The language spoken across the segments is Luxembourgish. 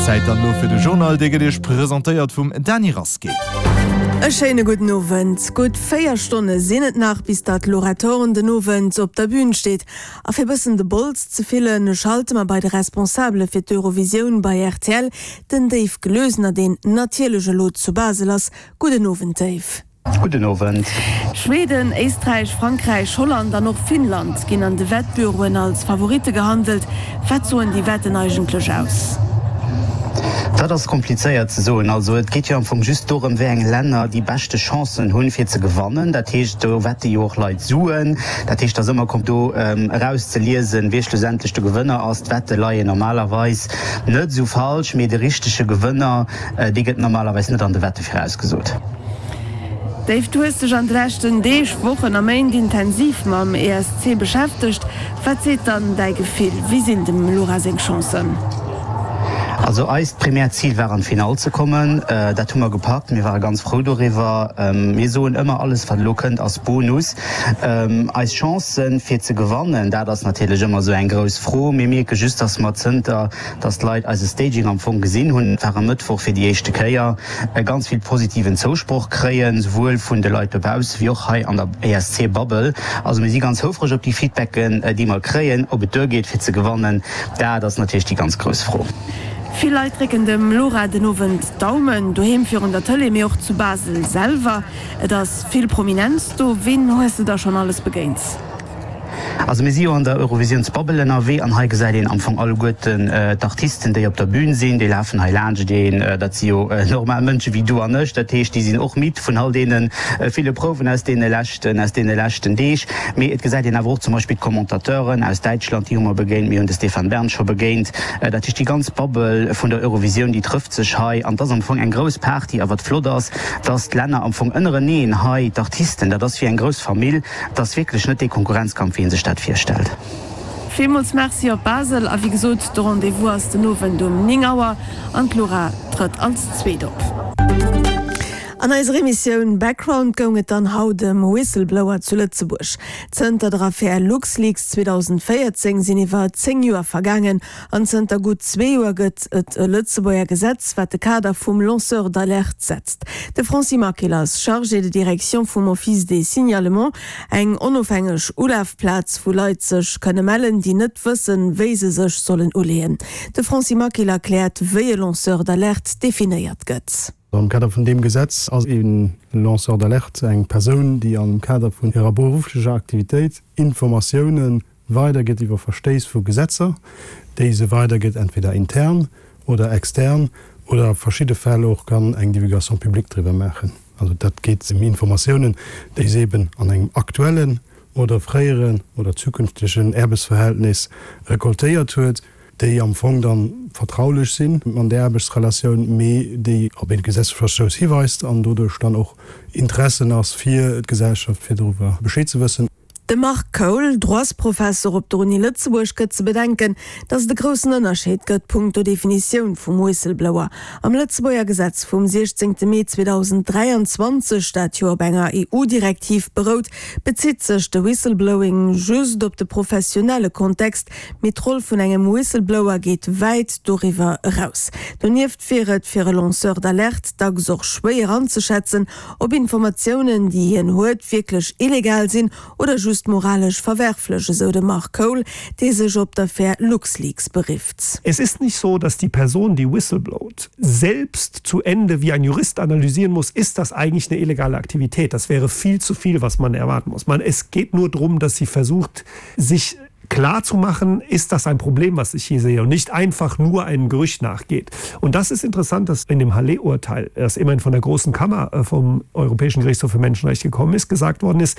Zäit dann elo fir de Journal, dee gëtt Iech presentéiert vum Dany Rasqué. E schéine gudden Owend. Gutt 4 Stonne sinn et nach, bis datt d'Laura Thorn den Owend op der Bün steet. A fir bëssen de Bols ze fillen, schalte mer bei de Responsabele fir d'Eurovisioun bei rtl, den Dave Gloesener, deen natierlech elo zu Basel ass. Gudden Owend, Dave. Gudden Owend. Schweden, Éisträich, Frankräich, Holland an och Finnland ginn an de Wettbüroen als Favoritte gehandelt. Wat soen déi Wetten eigentlech aus? Dat ass komplizéiert ze soen. Also et geet jo am Fong just dorëm, wéi eng Länner déi beschte Chancen hunn, fir ze gewannen. Dat heescht, do wette jo och Leit Suen. Dat heescht, et ass ëmmer kom do erauszeliesen, wie schlussendlech de Gewënner ass. D'Wette leien normalerweis net esou falsch, mee de richtege Gewënner, dee gëtt normalerweis net an de Wette virausgesot. Dave, du hues dech an de leschten Deeg, Wochen a Méint intensiv mam ESC beschäftegt. Wat seet dann däi Gefill? Wéi sinn dem Laura seng Chancen? Also eist primäert Zil war an d'Finall ze kommen. Dat hu mer gepackt. Mir ware ganz frou doriwwer. Mir soen ëmmer, alles wat elo kënnt ass Bonus. Eis Chancen fir ze gewannen, dat ass natierlech ëmmer esou eng grouss Fro. Mir mierke just, dass mer zënter dass d'Leit eise Staging am Fong gesinn hunn, dat war e Mëttwoch fir déi éischte Kéier, ganz vill positiven Zousproch kréien, souwuel vun de Leit dobausse wéi och hei an der ESC-Bubble. Also mir si ganz houfreg op déi Feedbacken, déi mer kréien. Ob et duergeet fir ze gewannen, dat ass natierlech déi ganz grouss Fro. Vill Leit drécken dem Laura den Owend d'Daumen, doheem virun der Tëlee, mee och zu Basel selwer. Et ass vill Prominenz do. Ween hues de da schonn alles begéint? Also mir si jo an der Eurovisiounsbubble ënnerwee an hei gesäit een am Fong alleguerten d'Artisten, déi op der Bühn sinn, déi lafen hei laanscht een. Dat si jo normal Mënsche wéi du an ech, dat heescht, déi sinn och midd vun all deene ville Prouwen aus deene leschten, aus deene leschten Deeg. Mee et gesäit een awer och zum Beispill d'Commentateuren aus Däitschland, déi hu mer begéint, mir hunn de Stéphane Bern scho begéint. Dat heescht, déi ganz Bubble vun der Eurovisioun, déi trëfft sech hei an et ass am Fong eng grouss Party. A wat flott ass, dass d'Länner am Fong ënnereneen hei, d'Artisten, dat ass wéi eng grouss Famill, Et ass wierklech net dee Konkurrenzkampf, wéi ee sech dat virstellt. Villmools Merci op Basel a wéi gesot, de Rendez-vous ass den Owend um 9 Auer an d'Laura trëtt als Zweet op. An eiser Emissioun Background goung et dann haut ëm Whistleblower zu Lëtzebuerg. Zënter der Affär LuxLeaks 2014 sinn iwwer 10 Joer vergaangen An zënter gutt zwee Joer gëtt et e Lëtzebuerger Gesetz, wat de Kader vum Lanceur d'alerte setzt. De Francis Maquil ass Chargé de direction vum Office des signalements, eng onofhängeg Ulafplaz, wou Leit sech kënne mellen, déi net wëssen, wéi se sech sollen uleeën. De Francis Maquil erkläert, wéi e Lanceur d'alerte definéiert gëtt. Am Kader vun deem Gesetz ass e Lanceur d'alerte eng Persoun, déi am Kader vun hirer berufflecher Aktivitéit Informatiounen weidergëtt iwwer Verstéiss vu Gesetzer, déi se weidergëtt, entweder intern oder extern, oder a verschidde Fäll och kann eng Divulgation publique driwwer maachen. Also dat geet ëm Informatiounen, déi se eben an engem aktuellen oder fréieren oder zukünftegen Aarbechtsverhältnis recoltéiert huet, déi am Fong da vertraulech sinn an där Aarbechtsrelatioun, mee déi op ee Gesetzesverstouss hiweist an doduerch dann och Interessen ass fir d'Gesellschaft, fir doriwwer Bescheed ze wëssen. De Marc Koul, Droitsprofesser op der Uni Lëtzebuerg, gëtt ze bedenken, datt et e groussen Ënnerscheed gëtt punkto Definitioun vum Whistleblower. Am Lëtzebuerger Gesetz vum 16 Mee 2023, dat jo op enger EU-Direktiv berout, bezitt sech de Whistleblowing just op de professionelle Kontext, mee d'Roll vun engem Whistleblower geet wäit doriwwer eraus. Donieft wier et fir e Lanceur d'alerte dacks och schwéier anzeschätzen, Ob Informatiounen, déi hien huet, wierklech illegal sinn oder just moralesch verwerflech, esou de Mark Cole, dee sech op d'Affär LuxLeaks berifft. Es ist nicht so, dass die Person, die whistleblowt, selbst zu Ende wie ein Jurist analysieren muss, ist das eigentlich eine illegale Aktivität. Das wäre viel zu viel, was man erwarten muss. Man, es geht nur darum, dass sie versucht, sich klar zu machen, ist das ein Problem, was ich hier sehe und nicht einfach nur einem Gerücht nachgeht. Und das ist interessant, dass in dem Halle-Urteil, das immerhin von der großen Kammer äh, vom Europäischen Gerichtshof für Menschenrechte gekommen ist, gesagt worden ist,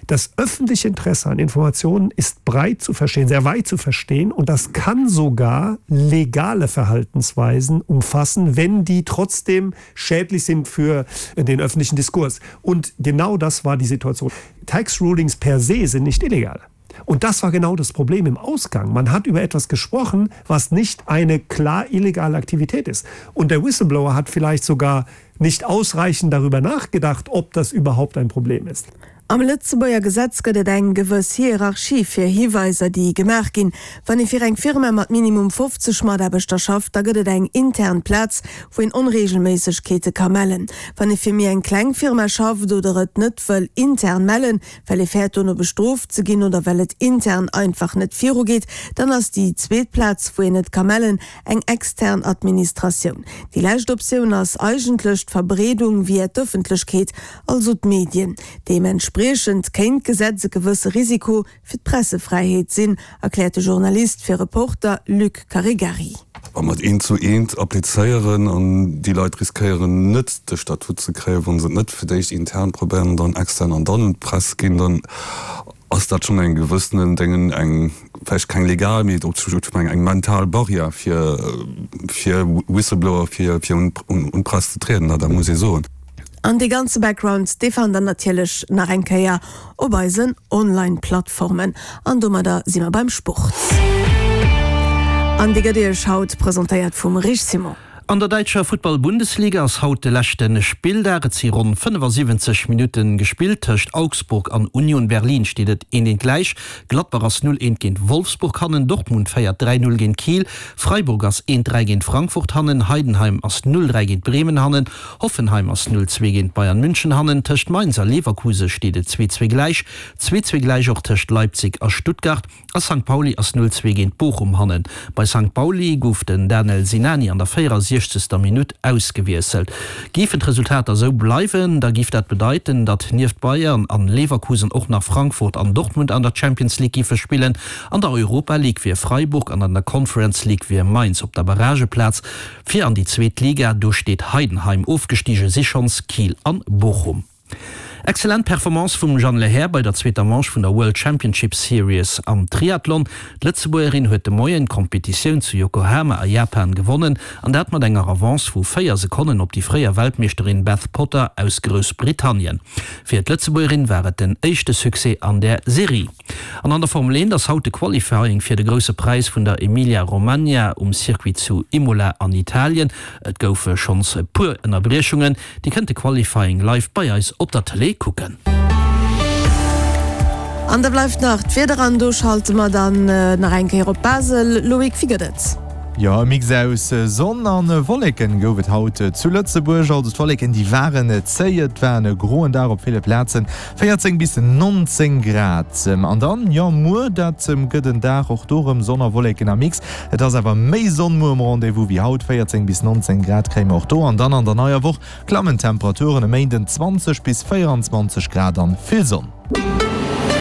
das öffentliche Interesse an Informationen ist breit zu verstehen, sehr weit zu verstehen und das kann sogar legale Verhaltensweisen umfassen, wenn die trotzdem schädlich sind für den öffentlichen Diskurs. Und genau das war die Situation. Tax Rulings per se sind nicht illegal. Und das war genau das Problem im Ausgang. Man hat über etwas gesprochen, was nicht eine klar illegale Aktivität ist. Und der Whistleblower hat vielleicht sogar nicht ausreichend darüber nachgedacht, ob das überhaupt ein Problem ist. Am Lëtzebuerger Gesetz gëtt et eng gewëss Hierarchie fir Hiweiser, déi gemaach ginn. Wann ee fir eng Firma mat minimum 50 Mataarbechter schafft, da gëtt et eng intern Plaz, wou een Onreegelméissegkeete ka mellen. Wann ee fir méi eng kleng Firma schafft oder et net wëll intern mellen, well ee fäert dono bestrooft ze ginn oder well et intern einfach net virugeet, dann ass déi zweet Plaz, wou een et ka mellen, eng extern Administratioun. Déi lescht Optioun ass eigentlech d'Verbreedung via d'Ëffentlechkeet. also d'Medien. Deementspriechend kéint d'Gesetz e gewësse Risiko fir d'Pressefräiheet sinn, erkläert de Journalist fir Reporter Luc Caregari. Wa mer et eent zu eent applizéieren an déi Leit riskéieren net de Statut ze kréien, wa se et net fir d'éischt intern probéieren an dann extern an dann un d'Press ginn, dann ass dat schonn eng gewëssenen Déngen, eng vläicht keng legal, mee op eng eng mental Barrière fir fir Whistleblower fir fir un un d'Press ze trieden, dat muss ee soen. An dee ganze Background, dee fannt der natierlech nach eng Kéier op eisen Online-Plattformen. An domadder si mer beim Sport. An dee gëtt Iech haut presentéiert vum Rich Simon. An der däitscher Futtball-Bundesliga ass haut de leschte Spilldag. Et si ronn 75 Minutte gespillt. Tëscht Augsburg an Union Berlin steet et 1, 1 gläich. Gladbach ass 0, 1 géint Wolfsburg hannen. Dortmund féiert 3, 0 géint Kiel. Freiburg ass 1, 3 géint Frankfurt hannen. Heidenheim ass 0, 3 géint Bremen hannen. Hoffenheim ass 0, 2 géint Bayern München hannen. Tëscht Mainz a Leverkuse steet et 2, 2 gläich. 2, 2 gläich och tëscht Leipzig a Stuttgart. A Sankt Pauli ass 0, 2 géint Bochum hannen. Bei Sankt Pauli gouf den Danel Sinani an der 64. Minutt ausgewiesselt. Géifen d'Resultater esou bleiwen, da géif dat bedeiten, datt nieft Bayern an Leverkusen och nach Frankfurt an Dortmund an der Champions League géife spillen. An der Europa League wier Freiburg an an der Conference League wier Mainz op der Barrageplaz. Fir an déi zweet Liga, do steet Heidenheim, ofgestige si schonns Kiel an Bochum. Excellent Performance vum Jeanne Lehair bei der zweeter Manche vun der World Championship Series am Triathlon. D'Lëtzebuergerin huet de Moien d'Kompetitioun zu Yokohama a Japan gewonnen an dat mat enger Avance vu 4 Sekonnen op déi fréier Weltmeeschterin Beth Potter aus Groussbritannien. Fir d'Lëtzebuergerin war et den éischte Succès an där Serie. An an der Formel 1 ass haut de Qualifying fir de Grousse Präis vun der Emilia-Romagna um Circuit zu Imola an Italien. Et goufe schonns e puer Ënnerbriechungen. Dir kënnt de Qualifying live bei eis op der Tëlee kucken. An da bleift nach d'Wieder an do schalte mer dann nach eng Kéier op Basel. Loïc, wéi gëtt et? Jo, e Mix aus Sonn an Wolleken gouf et haut zu Lëtzebuerg. Also d'Wolleken déi waren zéi, et war en groen Dag op ville Plazen, 14 bis 19 Grad. An dann, jo, muer, dat gëtt en Dag, och do rëm Sonn a Wolleken am Mix. Et ass awer méi Sonn muer um Rendez-vous wéi haut, 14 bis 19 Grad kréie mer och do. An dann an der neier Woch klammen d'Temperaturen, e Méinden 20 bis 24 Grad an vill Sonn.